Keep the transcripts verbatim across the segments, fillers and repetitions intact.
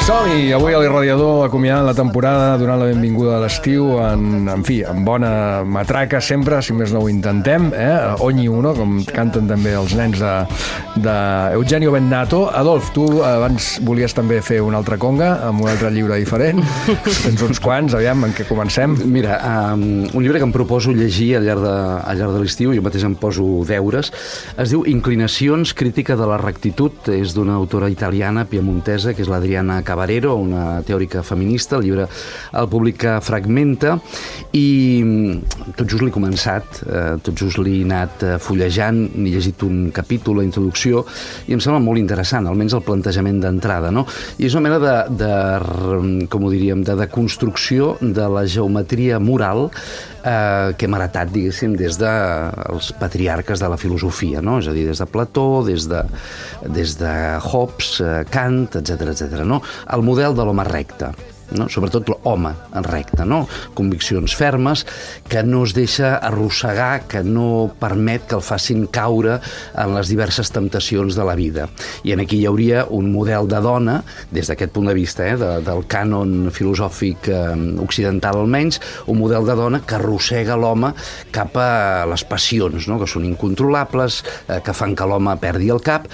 Som-hi! Avui a l'Irradiador acomiadant la temporada, donant la benvinguda a l'estiu, en, en fi, amb bona matraca sempre, si més no ho intentem, eh? Ogni uno, com canten també els nens de, de Eugenio Bennato. Adolf, tu abans volies també fer una altra conga, amb un altre llibre diferent. Tens uns quants, aviam, en què comencem? Mira, um, un llibre que em proposo llegir al llarg de, al llarg de l'estiu, jo mateix em poso deures, es diu Inclinacions, crítica de la rectitud, és d'una autora italiana, piemontesa, que és l'Adriana Cavarero, una teòrica feminista. El llibre el publica Fragmenta i tot just l'he començat, eh, tot just l'he anat fullejant, n'he llegit un capítol, la introducció, i em sembla molt interessant, almenys el plantejament d'entrada, no? I és una mena de, de com ho diríem, de deconstrucció de la geometria moral eh, que hem heretat, diguéssim, des dels patriarques de la filosofia, no? És a dir, des de Plató, des de, des de Hobbes, Kant, etcètera, etcètera, no? El model de l'home recte, no? Sobretot l'home en recte, no? Conviccions fermes, que no es deixa arrossegar, que no permet que el facin caure en les diverses temptacions de la vida. I en aquí hi hauria un model de dona, des d'aquest punt de vista, eh, de, del cànon filosòfic eh, occidental almenys, un model de dona que arrossega l'home cap a les passions, no? Que són incontrolables, eh, que fan que l'home perdi el cap,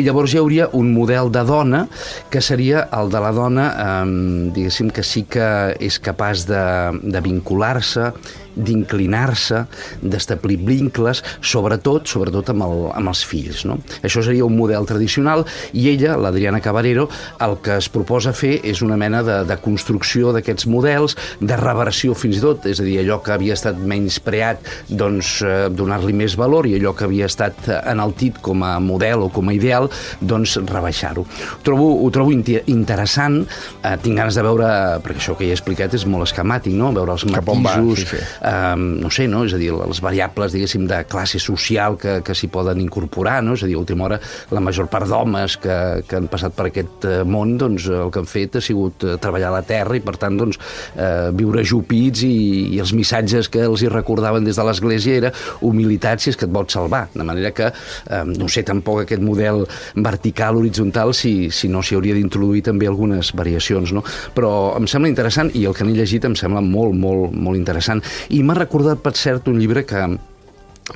i llavors hi hauria un model de dona que seria el de la dona, eh, diguéssim, que sí que és capaç de, de vincular-se, d'inclinar-se, d'establir vincles, sobretot sobretot amb, el, amb els fills, no? Això seria un model tradicional, i ella, l'Adriana Cavarero, el que es proposa fer és una mena de, de construcció d'aquests models, de reversió fins i tot, és a dir, allò que havia estat menyspreat, doncs eh, donar-li més valor, i allò que havia estat enaltit com a model o com a ideal, doncs rebaixar-ho. Ho trobo, ho trobo interessant, eh, tinc ganes de veure, perquè això que ja he explicat és molt esquemàtic, no? Veure els matisos, sí, sí. Um, no sé, no? És a dir, les variables, diguéssim, de classe social que, que s'hi poden incorporar, no? És a dir, a última hora, la major part d'homes que, que han passat per aquest món, doncs el que han fet ha sigut treballar a la terra i, per tant, doncs, eh, viure ajupits, i, i els missatges que els hi recordaven des de l'Església era humilitat si és que et vols salvar. De manera que, eh, no sé tampoc aquest model vertical, horitzontal, si, si no s'hi hauria d'introduir també algunes variacions, no? Però em sembla interessant, i el que n'he llegit em sembla molt, molt, molt interessant. I m'ha recordat, per cert, un llibre que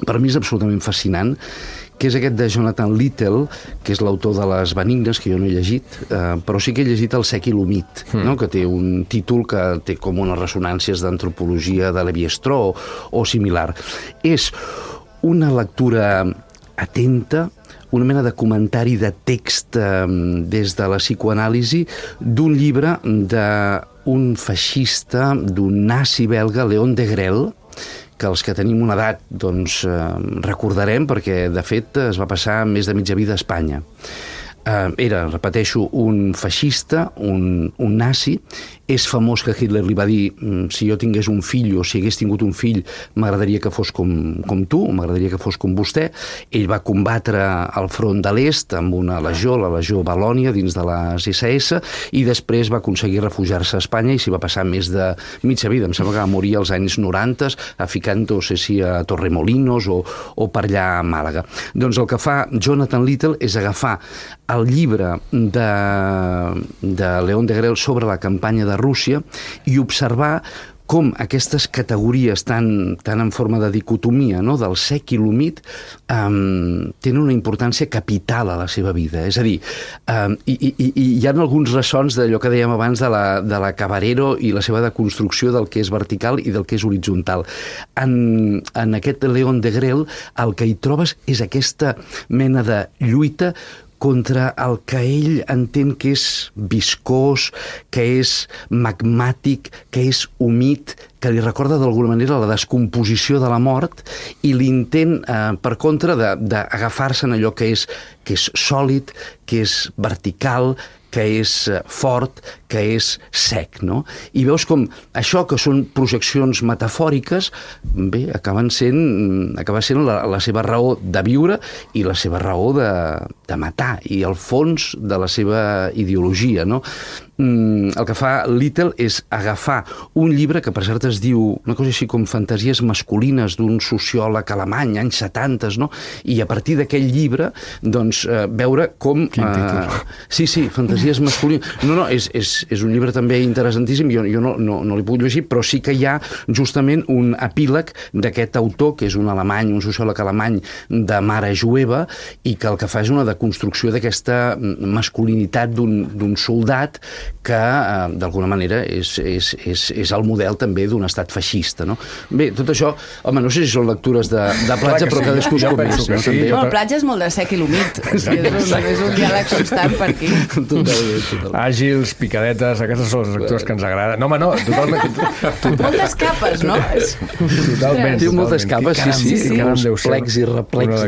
per mi és absolutament fascinant, que és aquest de Jonathan Littell, que és l'autor de Les Benignes, que jo no he llegit, eh, però sí que he llegit El sec i l'humit, mm. no? Que té un títol que té com unes ressonàncies d'antropologia de Lévi-Strauss o, o similar. És una lectura atenta, una mena de comentari de text eh, des de la psicoanàlisi d'un llibre d'un feixista, d'un nazi belga, Léon Degrelle, que els que tenim una edat doncs, eh, recordarem, perquè de fet es va passar més de mitja vida a Espanya. Eh, era, repeteixo, un feixista, un, un nazi. És famós que Hitler li va dir: si jo tingués un fill, o si hagués tingut un fill, m'agradaria que fos com, com tu, o m'agradaria que fos com vostè. Ell va combatre al front de l'est amb una legió, la legió Valònia, dins de les esse esse, i després va aconseguir refugiar-se a Espanya i s'hi va passar més de mitja vida. Em sembla que va morir als anys noranta, a Ficant, no sé si a Torremolinos o, o per allà a Màlaga. Doncs el que fa Jonathan Littell és agafar el llibre de, de Léon Degrelle sobre la campanya de Rússia i observar com aquestes categories tan, tan en forma de dicotomia, no? Del sec i l'humit, um, tenen una importància capital a la seva vida. És a dir, um, i, i, i hi ha alguns ressons d'allò que dèiem abans de la, de la Cavarero i la seva deconstrucció del que és vertical i del que és horitzontal. En, en aquest Léon Degrelle el que hi trobes és aquesta mena de lluita contra el que ell entén que és viscós, que és magmàtic, que és humit, que li recorda d'alguna manera la descomposició de la mort, i l'intent, eh, per contra, d'agafar-se en allò que és, que és sòlid, que és vertical, que és fort, que és sec, no? I veus com això, que són projeccions metafòriques, bé, acaben sent, acaba sent la, la seva raó de viure i la seva raó de, de matar, i el fons de la seva ideologia, no? El que fa Littell és agafar un llibre que, per cert, es diu una cosa així com Fantasies masculines, d'un sociòleg alemany, anys setanta, no? I a partir d'aquell llibre, doncs, eh, veure com... Quin títol. Eh, sí, sí, Fantasies fantasies masculines. No, no, és, és, és un llibre també interessantíssim, jo, jo no, no, no l'he pogut llegir, però sí que hi ha justament un epíleg d'aquest autor, que és un alemany, un sociòleg alemany de mare jueva, i que el que fa és una deconstrucció d'aquesta masculinitat d'un soldat que, eh, d'alguna manera, és, és, és, és el model també d'un estat feixista, no? Bé, tot això, home, no sé si són lectures de, de platja, però cadascú es coneix, no? Sí, no, el platja és molt de sec i l'humit. És, un, és un diàleg constant per aquí. Totalment, totalment. Àgils, picadetes, aquestes són les lectures que ens agraden. No, home, no, totalment. totalment. Moltes capes, no? Totalment. Té moltes capes, sí, sí, sí, sí. uns plecs i replecs